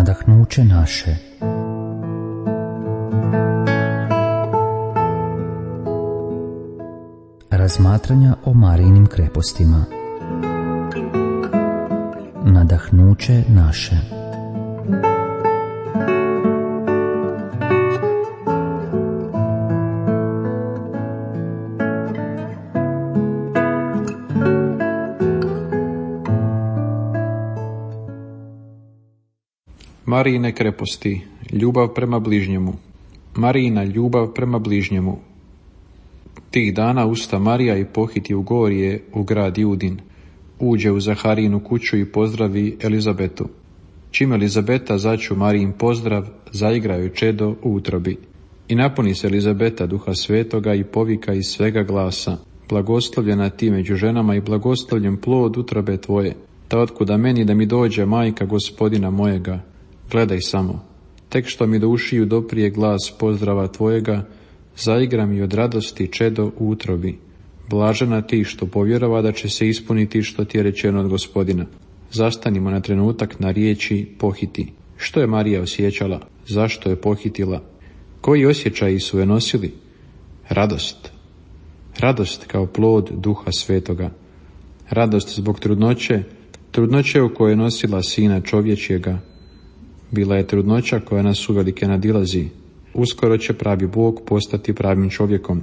nadahnuće naše. Razmatranja o Marijinim krepostima. Nadahnuće naše. Marijine kreposti, ljubav prema bližnjemu. Marijina ljubav prema bližnjemu. Tih dana usta Marija i pohiti u gorje u grad Judin. Uđe u Zaharijinu kuću i pozdravi Elizabetu. Čim Elizabeta začu Marijin pozdrav, zaigraju čedo u utrobi. I napuni se Elizabeta duha svetoga i povika iz svega glasa: blagoslovljena ti među ženama i blagoslovljen plod utrobe tvoje. Ta otkuda meni da mi dođe majka gospodina mojega. Gledaj samo, tek što mi do ušiju doprije glas pozdrava tvojega, zaigra mi od radosti čedo u utrobi. Blažena ti što povjerova da će se ispuniti što ti je rečeno od Gospodina. Zastanimo na trenutak na riječi pohiti. Što je Marija osjećala? Zašto je pohitila? Koji osjećaji su je nosili? Radost. Radost kao plod duha svetoga. Radost zbog trudnoće u kojoj je nosila sina čovječjega. Bila je trudnoća koja nas uvelike nadilazi. Uskoro će pravi Bog postati pravim čovjekom.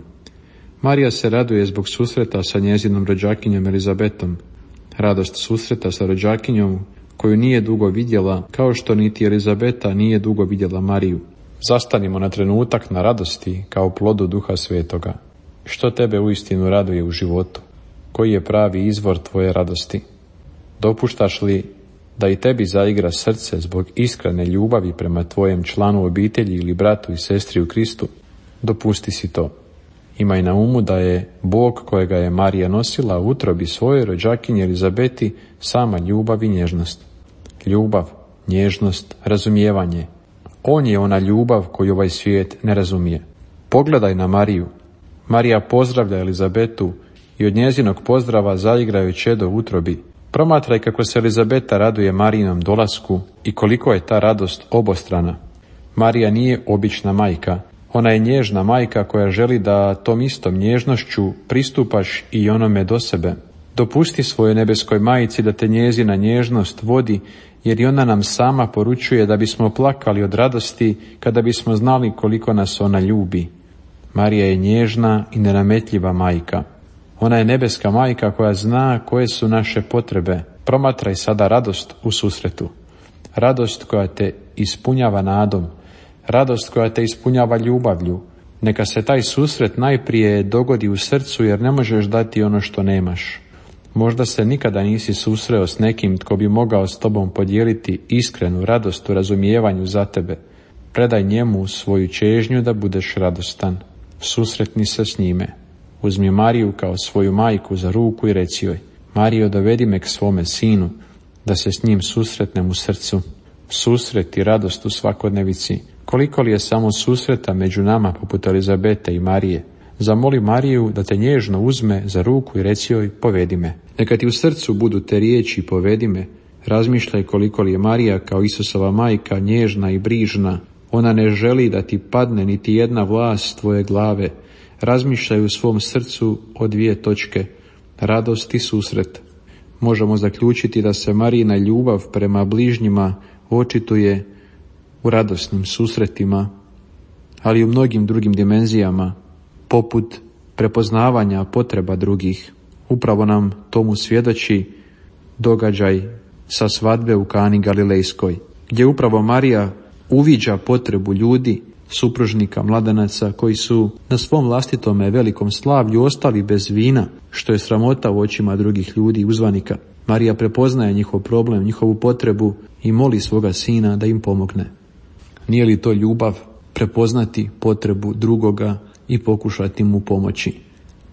Marija se raduje zbog susreta sa njezinom rođakinjom Elizabetom. Radost susreta sa rođakinjom koju nije dugo vidjela, kao što niti Elizabeta nije dugo vidjela Mariju. Zastanimo na trenutak na radosti kao plodu duha svetoga. Što tebe uistinu raduje u životu? Koji je pravi izvor tvoje radosti? Dopuštaš li da i tebi zaigra srce zbog iskrene ljubavi prema tvojem članu obitelji ili bratu i sestri u Kristu? Dopusti si to. Imaj na umu da je Bog kojega je Marija nosila u utrobi svoje rođakinje Elizabeti sama ljubav i nježnost. Ljubav, nježnost, razumijevanje. On je ona ljubav koju ovaj svijet ne razumije. Pogledaj na Mariju. Marija pozdravlja Elizabetu i od njezinog pozdrava zaigraju čedo u utrobi. Promatraj kako se Elizabeta raduje Marijinom dolasku i koliko je ta radost obostrana. Marija nije obična majka. Ona je nježna majka koja želi da tom istom nježnošću pristupaš i onome do sebe. Dopusti svojoj nebeskoj majici da te njezina nježnost vodi, jer i ona nam sama poručuje da bismo plakali od radosti kada bismo znali koliko nas ona ljubi. Marija je nježna i nenametljiva majka. Ona je nebeska majka koja zna koje su naše potrebe. Promatraj sada radost u susretu. Radost koja te ispunjava nadom. Radost koja te ispunjava ljubavlju. Neka se taj susret najprije dogodi u srcu, jer ne možeš dati ono što nemaš. Možda se nikada nisi susreo s nekim tko bi mogao s tobom podijeliti iskrenu radost u razumijevanju za tebe. Predaj njemu svoju čežnju da budeš radostan. Susretni se s njime. Uzmi Mariju kao svoju majku za ruku i reci joj: Marijo, dovedi me k svome sinu, da se s njim susretnem u srcu. Susret i radost u svakodnevici. Koliko li je samo susreta među nama poput Elizabete i Marije? Zamoli Mariju da te nježno uzme za ruku i reci joj: povedi me. Neka ti u srcu budu te riječi povedi me. Razmišljaj koliko li je Marija kao Isusova majka nježna i brižna. Ona ne želi da ti padne niti jedna vlas tvoje glave. Razmišljaj u svom srcu o dvije točke: radost i susret. Možemo zaključiti da se Marijina ljubav prema bližnjima očituje u radosnim susretima, ali i u mnogim drugim dimenzijama, poput prepoznavanja potreba drugih. Upravo nam tomu svjedoči događaj sa svadbe u Kani Galilejskoj, gdje upravo Marija uviđa potrebu ljudi, supružnika, mladenaca koji su na svom vlastitome velikom slavlju ostali bez vina, što je sramota u očima drugih ljudi i uzvanika. Marija prepoznaje njihov problem, njihovu potrebu i moli svoga sina da im pomogne. Nije li to ljubav, prepoznati potrebu drugoga i pokušati mu pomoći?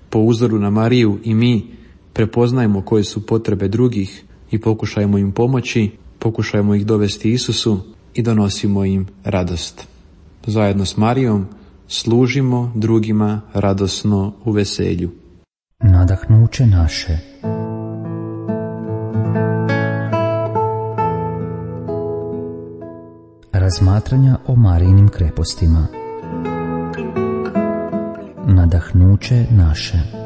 Po uzoru na Mariju i mi prepoznajmo koje su potrebe drugih i pokušajmo im pomoći, pokušajmo ih dovesti Isusu i donosimo im radost. Zajedno s Marijom služimo drugima radosno u veselju. Nadahnuće naše. Razmatranja o Marijinim krepostima. Nadahnuće naše.